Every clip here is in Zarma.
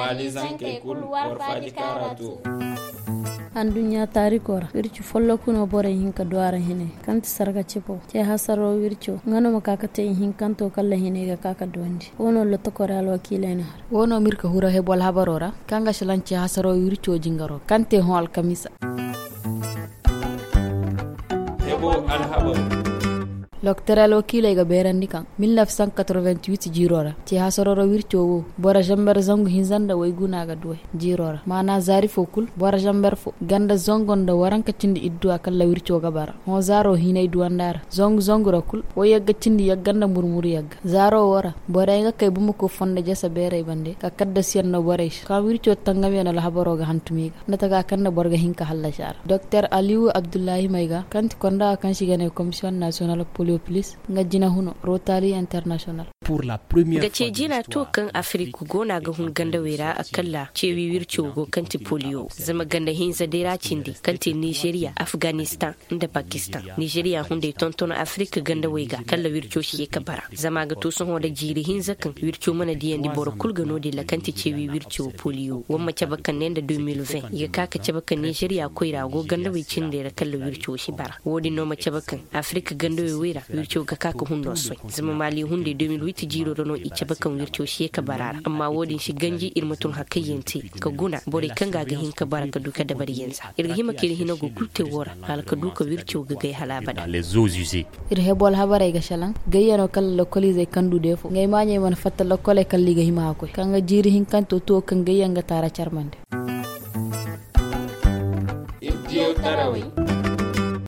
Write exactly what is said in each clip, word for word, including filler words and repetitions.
Maali zankey kulu war faaji kaara to. Anduɲɲa taariko ra wirci folloku no borey hin ka du a ra hine kaŋ ti sarga cipo ce hasaro wirco nga no ma ka ka te ihinkanto kalla hinay ga ka ka duwandi wo no lottokore alwakiilay na har wo no ma iri ka hura hebo alhabaro ra kaŋ ga salaŋ ce hasaro wirco jingaro kaŋ te hõ alkamiisa. Hebo alhabaro. Loktor alwakiiley ga beerandi kaŋ mil neef cent quatre-vingt-huit jiiro ra ce hasaro ra wirco wo boro zamber zangu hinza nda waygu no a ga duway jiiro ra maana zaari fo kulu boro zamber fo ganda zango nda waranka cindi idduwa kalla wirco ga bara hõ zaaro hinay duwanda ra zangu zangu ra kulu wo yagga cindi yagga nda murmuru yagga zaaro wo ra borey ga kay bumako fondo jasa beerey bande ka kaddasiyaŋ no borey se kaŋ wirco tangamyaŋ alhabaro ga hantum i ga nda taka kaŋ nda boro ga hin ka hallasi a ra doktor aliyu abdullahi mayga kaŋ ti konda kaŋ se i ga ne komisiyoŋ nasiyonal poliopilis nga jina huno rotali international. Nga ce jina to kaŋ afirik go no a ga hun gandawey ra a kalla ceewi wirco go kaŋ ti poliyo zama ganda hinza day ra cindi kaŋ ti nizeriya afganistan nda pakistan. Nizeriya hunday tonton afirik gandawey ga kalla wirco si ye ka bara zama a ga to sohõ nda jiiri hinza kaŋ wirco mana diyandi boro kulu ga no-din ra kaŋ ti ceewi wirco poliyo wamma cabe kaŋ ne nda deux mille vingt i ga ka ka cabe kaŋ nizeriya koyra go gandawey cindey ra kalla wirco si bara wo-din no ma cabe kaŋ afirik gandawey wey ra wirco ga ka ka hundo soy zama maali hunday deux mille huit jiiro ra no i cabe kaŋ wirco si ye ka bara a ra amma wo-din si ganji iri ma tun hakkayyaŋ te ka guna borey kaŋ ga a ga hin ka bara ka du ka dabari yanza iri ga hima ka iri hina go kulu te wo ra hala ka du ka wirco ga gay hala abada. Iri hebo alhabarey ga salaŋ gayyano kala lokoliizey kaŋ du deefo ngey maaɲey mana fatta lokoley kala i ga hima a koy kaŋ ga jiiri hinkanto tuwo kaŋ gayyaŋ ga taara carmande.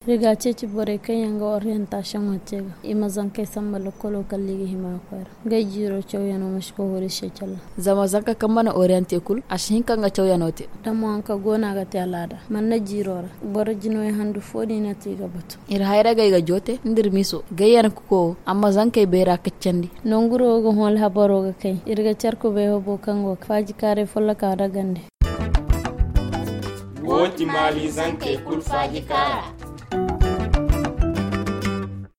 Iri ga a ceeci borey kaŋ yaŋ ga oriyantasiyoŋo te ga i ma zankey samba lokolo kala i ga hima a koy ra. Ngey jiiro cawyano ma si koy hori se calla. Zama zanka kaŋ mana oriyante kulu a si hin kaŋ ga cawyano te. Damo haŋ kaŋ go no a ga te alaada manna jiiro ra boro jinoy handu fo din no te i ga batu. Iri hayragey ga joote nda iri miso gayyan kuko wo amma zankey beera kaccandi. Nanguro wo ga hõ alhabaro ga kay iri ga care kubay hobo kaŋ go ga faaji kaaray folloka nda gande. Wo ti maali zankey kulu faaji kaara.